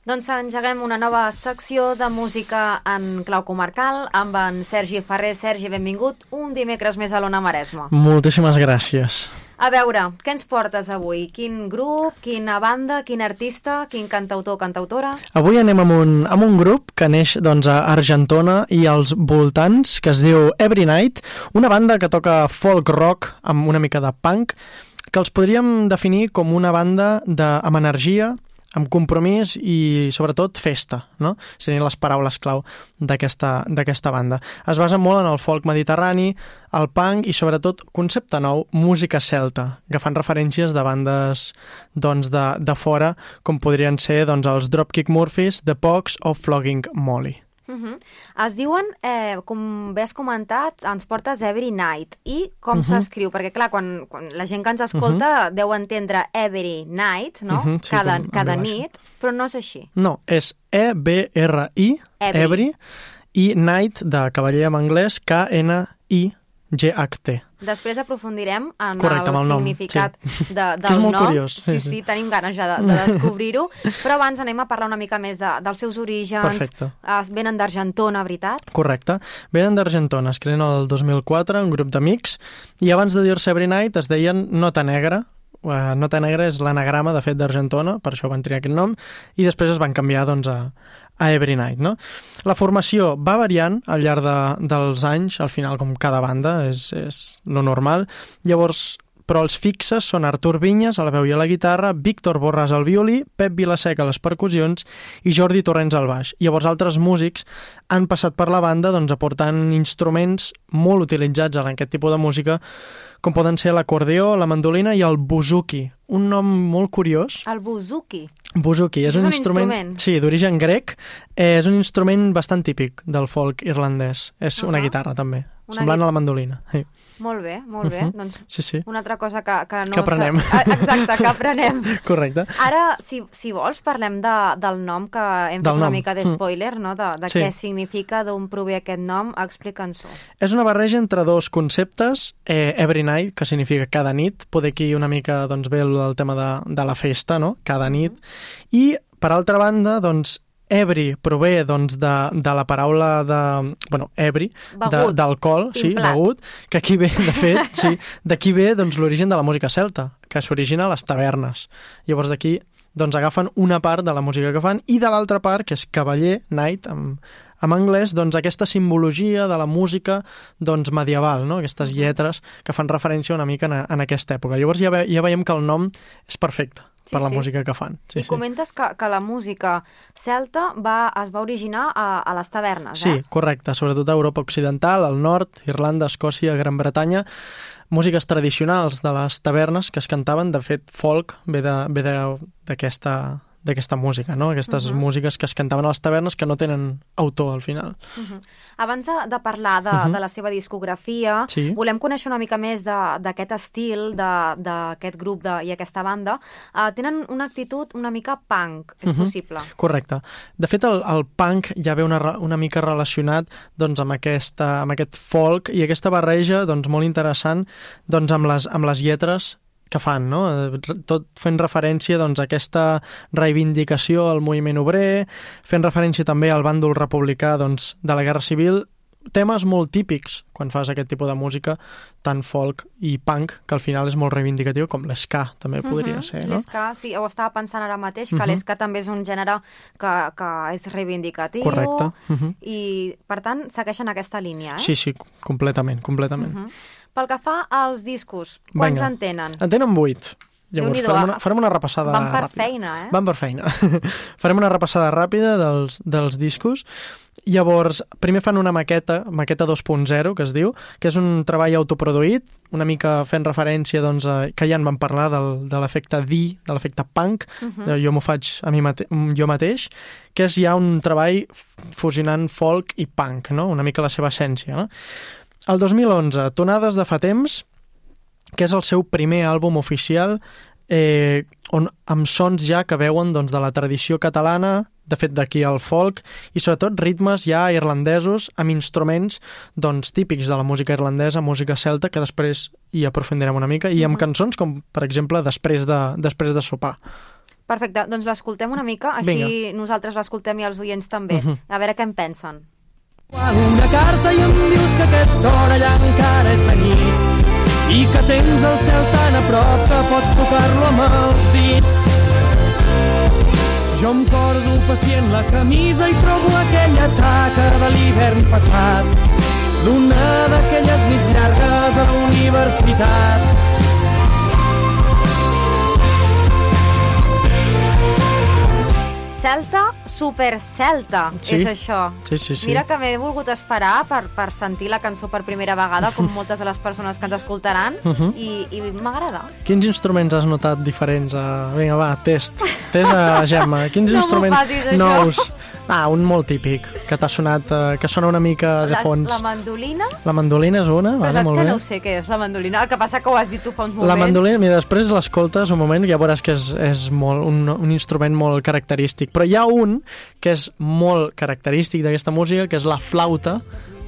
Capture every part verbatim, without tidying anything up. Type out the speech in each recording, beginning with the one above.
Doncs engeguem una nova secció de música en clau comarcal amb en Sergi Ferrer. Sergi, benvingut un dimecres més a l'Ona Maresma. Moltíssimes gràcies. A veure, què ens portes avui? Quin grup, quina banda, quin artista, quin cantautor, cantautora? Avui anem amb un, amb un grup que neix doncs, a Argentona i als voltants, que es diu Every Night, una banda que toca folk rock amb una mica de punk, que els podríem definir com una banda de, amb energia, amb compromís i, sobretot, festa, no? Serien les paraules clau d'aquesta d'aquesta banda. Es basa molt en el folk mediterrani, el punk i, sobretot, concepte nou, música celta, que fan referències de bandes doncs, de, de fora, com podrien ser doncs, els Dropkick Murphys, The Pogues o Flogging Molly. Uh -huh. Es diuen, eh, com bé has comentat, ens portes Every Night. I com uh -huh. s'escriu? Perquè, clar, quan, quan la gent que ens escolta uh -huh. deu entendre Every Night, no? Uh -huh, sí, cada, cada nit, però no és així. No, és E B R I, Every, Every i Night, de cavaller en anglès, K N I G H T. Després aprofundirem en Correcte, el, el significat sí. de, del que és molt nom. Curiós. Sí, sí, sí, tenim ganes ja de, de descobrir-ho. Però abans anem a parlar una mica més de, dels seus orígens. Perfecte. Es venen d'Argentona, veritat? Correcte. Venen d'Argentona, es creen el dos mil quatre, un grup d'amics, i abans de dir-se Every Night es deien Nota Negra. Uh, Nota Negra és l'anagrama, de fet, d'Argentona, per això van triar aquest nom, i després es van canviar doncs, a, a Every Night, no? La formació va variant al llarg de, dels anys, al final, com cada banda, és, és lo normal. Llavors, però els fixes són Artur Vinyes a la veu i a la guitarra, Víctor Borràs al violí, Pep Vilaseca a les percussions i Jordi Torrents al baix. Llavors, altres músics han passat per la banda doncs, aportant instruments molt utilitzats en aquest tipus de música, com poden ser l'acordeó, la mandolina i el buzuki, un nom molt curiós. El buzuki? Buzuki, és, és un, un instrument, instrument. Sí, d'origen grec, eh, és un instrument bastant típic del folk irlandès. És uh -huh. una guitarra, també, una semblant gui... a la mandolina. Sí. Molt bé, molt bé. Uh -huh. Doncs sí, sí. una altra cosa que, que no... Que aprenem. Sa... Exacte, que aprenem. Correcte. Ara, si, si vols, parlem de, del nom, que hem fet una nom. mica de spoiler, no? de, de sí. què significa, d'on prové aquest nom. Explica'ns-ho. És una barreja entre dos conceptes, eh, Every Night, que significa cada nit, poder aquí una mica doncs, ve el, el tema de, de la festa, no? Cada nit, uh -huh. i, per altra banda, doncs, ebri prové doncs, de, de la paraula de... Bueno, ebri, d'alcohol, sí, begut, que aquí ve, de fet, sí, d'aquí ve doncs, l'origen de la música celta, que s'origina a les tavernes. Llavors d'aquí doncs, agafen una part de la música que fan i de l'altra part, que és cavaller, night, amb, en anglès, doncs, aquesta simbologia de la música doncs, medieval, no? Aquestes lletres que fan referència una mica en, en aquesta època. Llavors ja, ve, ja veiem que el nom és perfecte. Sí, per la sí. música que fan. Sí, I sí. comentes que, que la música celta va, es va originar a, a les tavernes, sí, eh? Sí, correcte, sobretot a Europa Occidental, al nord, Irlanda, Escòcia, Gran Bretanya, músiques tradicionals de les tavernes que es cantaven, de fet, folk ve d'aquesta d'aquesta música, no? Aquestes uh -huh. músiques que es cantaven a les tavernes que no tenen autor al final. Uh -huh. Abans de, de parlar de, uh -huh. de la seva discografia, sí. volem conèixer una mica més d'aquest estil, d'aquest grup de, i aquesta banda. Uh, tenen una actitud una mica punk, és uh -huh. possible? Correcte. De fet, el, el punk ja ve una, una mica relacionat doncs, amb, aquesta, amb aquest folk i aquesta barreja doncs, molt interessant doncs, amb, les, amb les lletres que fan, no? Tot fent referència doncs, a aquesta reivindicació al moviment obrer, fent referència també al bàndol republicà doncs, de la Guerra Civil, temes molt típics quan fas aquest tipus de música, tant folk i punk, que al final és molt reivindicatiu, com l'esca també podria uh -huh. ser, no? L'esca, sí, ho estava pensant ara mateix, que uh -huh. l'esca també és un gènere que, que és reivindicatiu. Correcte. Uh -huh. I, per tant, segueixen aquesta línia, eh? Sí, sí, completament, completament. Uh -huh. Pel que fa als discos, quants Venga. en tenen? En tenen vuit. Llavors, farem una, farem una repassada Van per ràpida. feina, eh? Van per feina. Farem una repassada ràpida dels, dels discos. Llavors, primer fan una maqueta, maqueta dos punt zero, que es diu, que és un treball autoproduït, una mica fent referència, doncs, a, que ja en vam parlar del, de l'efecte D, de l'efecte punk, uh -huh. de jo m'ho faig a mi mate jo mateix, que és ja un treball fusionant folk i punk, no? Una mica la seva essència, no? El dos mil onze, Tonades de fa temps, que és el seu primer àlbum oficial, eh, on, amb sons ja que veuen doncs, de la tradició catalana, de fet d'aquí al folk, i sobretot ritmes ja irlandesos amb instruments doncs, típics de la música irlandesa, música celta, que després hi aprofundirem una mica, i amb cançons com, per exemple, Després de, després de sopar. Perfecte, doncs l'escoltem una mica, així Vinga. Nosaltres l'escoltem i els oients també, uh -huh. a veure què en pensen. Quan una carta i em dius que aquesta hora allà encara és de nit i que tens el cel tan a prop que pots tocar-lo amb els dits. Jo em cordo pacient la camisa i trobo aquella taca de l'hivern passat d'una d'aquelles nits llargues a la universitat. Celta, super celta, sí. és això. Sí, sí, sí. Mira que m'he volgut esperar per, per sentir la cançó per primera vegada, com moltes de les persones que ens escoltaran, uh -huh. i, i m'agrada. Quins instruments has notat diferents? A... Vinga, va, test. Test a Gemma. Quins no instruments facis, nous? Ah, un molt típic, que t'ha sonat, eh, que sona una mica de fons. La, la mandolina? La mandolina és una, Però vale, saps molt que bé. no sé què és la mandolina, el que passa que ho has dit tu fa uns moments. La mandolina, mira, després l'escoltes un moment i ja veuràs que és, és molt, un, un instrument molt característic. Però hi ha un que és molt característic d'aquesta música, que és la flauta,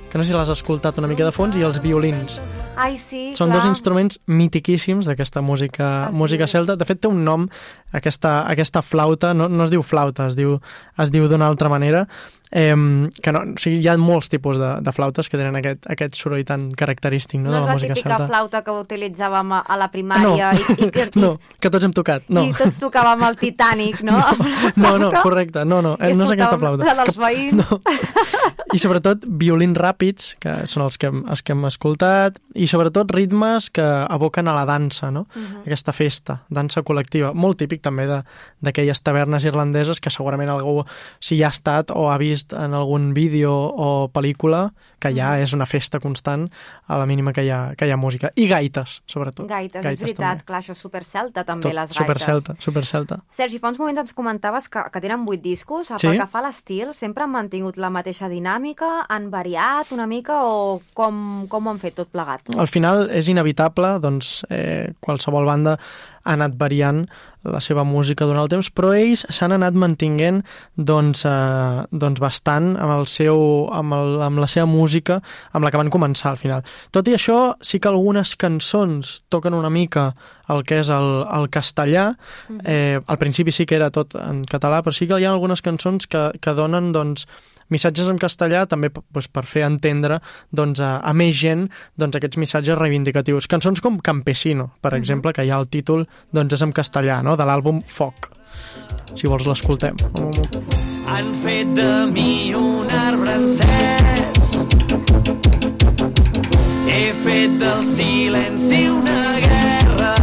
que no sé si l'has escoltat una mica de fons, i els violins. Ai, sí, Són clar. dos instruments mitiquíssims d'aquesta música, ah, sí. música celta. De fet, té un nom, aquesta, aquesta flauta, no, no es diu flauta, es diu, es diu d'una altra manera, eh, que no, o sigui, hi ha molts tipus de, de flautes que tenen aquest, aquest soroll tan característic, no, no de la música No celta. és la típica flauta que utilitzàvem a, a la primària. No, i, i, que, i, no, que tots hem tocat. No. I tots tocàvem el Titanic, no? No, no, correcte, no, no, no és aquesta flauta. La dels veïns. No. I sobretot violins ràpids, que són els que, hem, els que hem escoltat, i sobretot ritmes que evoquen a la dansa, no? Uh-huh. Aquesta festa, dansa col·lectiva, molt típic també d'aquelles tavernes irlandeses que segurament algú, si hi ha estat o ha vist en algun vídeo o pel·lícula, que ja uh-huh. és una festa constant a la mínima que hi ha, que hi ha música. I gaites, sobretot. Gaites, gaites és veritat, també. clar, això és supercelta també, Tot, les gaites. Supercelta, supercelta. Sergi, fa uns moments ens comentaves que, que tenen vuit discos, sí? Pel que fa a l'estil, sempre han mantingut la mateixa dinàmica, han variat una mica o com, com ho han fet tot plegat? Al final és inevitable, doncs eh, qualsevol banda ha anat variant la seva música durant el temps, però ells s'han anat mantinguent doncs, eh, doncs bastant amb, el seu, amb, el, amb la seva música amb la que van començar al final. Tot i això, sí que algunes cançons toquen una mica el que és el, el castellà. Eh, al principi sí que era tot en català, però sí que hi ha algunes cançons que, que donen doncs, missatges en castellà també doncs, per fer entendre doncs, a, a més gent doncs, aquests missatges reivindicatius. Cançons com Campesino, per exemple, uh-huh. que ja el títol doncs, és en castellà, no? De l'àlbum Foc. Si vols l'escoltem. Han fet de mi un arbre encès, he fet del silenci una guerra,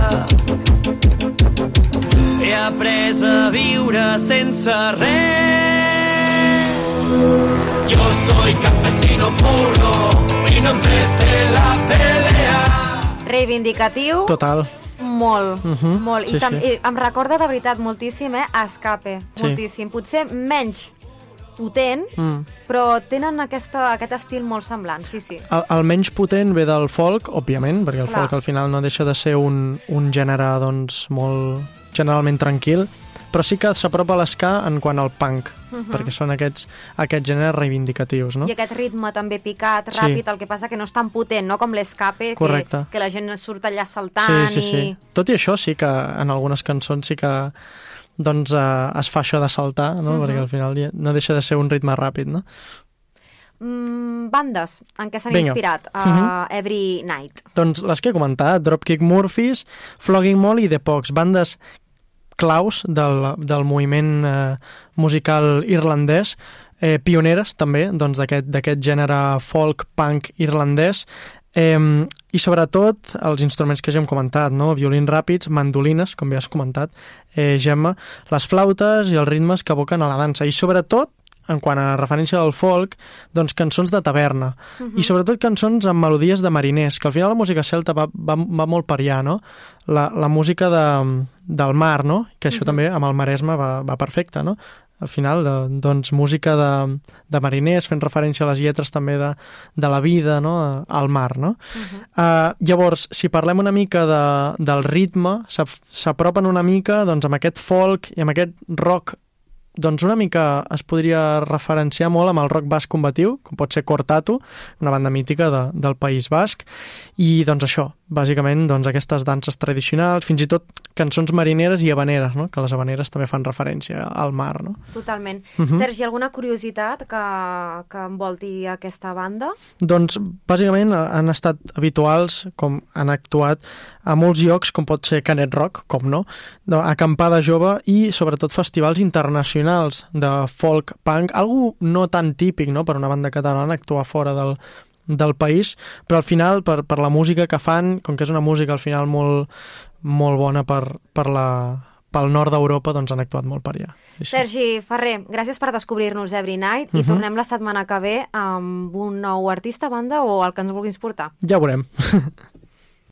he après a viure sense res. Yo soy campesino puro y no empecé la pelea. Reivindicatiu. Total. Molt, uh -huh. molt. Sí, I, tam- sí. I em recorda de veritat moltíssim, eh? Escape, sí. moltíssim. Potser menys potent, mm. però tenen aquesta, aquest estil molt semblant, sí, sí. El, el menys potent ve del folk, òbviament, perquè el Clar. folk al final no deixa de ser un, un gènere doncs, molt generalment tranquil, però sí que s'apropa a l'esca en quant al punk, uh -huh. perquè són aquests, aquests gèneres reivindicatius, no? I aquest ritme també picat, ràpid, sí. el que passa que no és tan potent, no?, com l'escape, que, que la gent surt allà saltant. Sí, sí, sí. I... Tot i això sí que en algunes cançons sí que doncs, eh, es fa això de saltar, no? Uh -huh. perquè al final no deixa de ser un ritme ràpid, no? Mm, bandes en què s'han Vinga. inspirat a uh, uh -huh. -huh. Every Night. Doncs les que he comentat, Dropkick Murphys, Flogging Molly i The Pogues, bandes claus del, del moviment eh, musical irlandès, eh, pioneres també doncs, d'aquest d'aquest gènere folk-punk irlandès, eh, i sobretot els instruments que ja hem comentat, no? Violins ràpids, mandolines, com ja has comentat, eh, Gemma, les flautes i els ritmes que evoquen a la dansa, i sobretot en quant a referència del folk, doncs cançons de taverna. Uh -huh. I sobretot cançons amb melodies de mariners, que al final la música celta va, va, va molt per allà, no? La, la música de, del mar, no? Que això uh -huh. també amb el Maresme va, va perfecte, no? Al final, de, doncs, música de, de mariners, fent referència a les lletres també de, de la vida, no? Al mar, no? Uh -huh. uh, llavors, si parlem una mica de, del ritme, s'apropen una mica doncs, amb aquest folk i amb aquest rock, doncs una mica es podria referenciar molt amb el rock basc combatiu, com pot ser Cortatu, una banda mítica de, del País Basc, i doncs això, bàsicament doncs, aquestes danses tradicionals, fins i tot cançons marineres i habaneres, no? Que les habaneres també fan referència al mar. No? Totalment. Uh-huh. Sergi, alguna curiositat que, que envolti aquesta banda? Doncs bàsicament han estat habituals, com han actuat a molts llocs, com pot ser Canet Rock, com no, acampada jove i sobretot festivals internacionals de folk punk, algo no tan típic, no?, per una banda catalana actuar fora del, del país, però al final per, per la música que fan, com que és una música al final molt, molt bona per, per la, pel nord d'Europa, doncs han actuat molt per allà. Sí. Sergi Ferrer, gràcies per descobrir-nos Every Night i uh-huh. tornem la setmana que ve amb un nou artista, banda o el que ens vulguis portar. Ja ho veurem.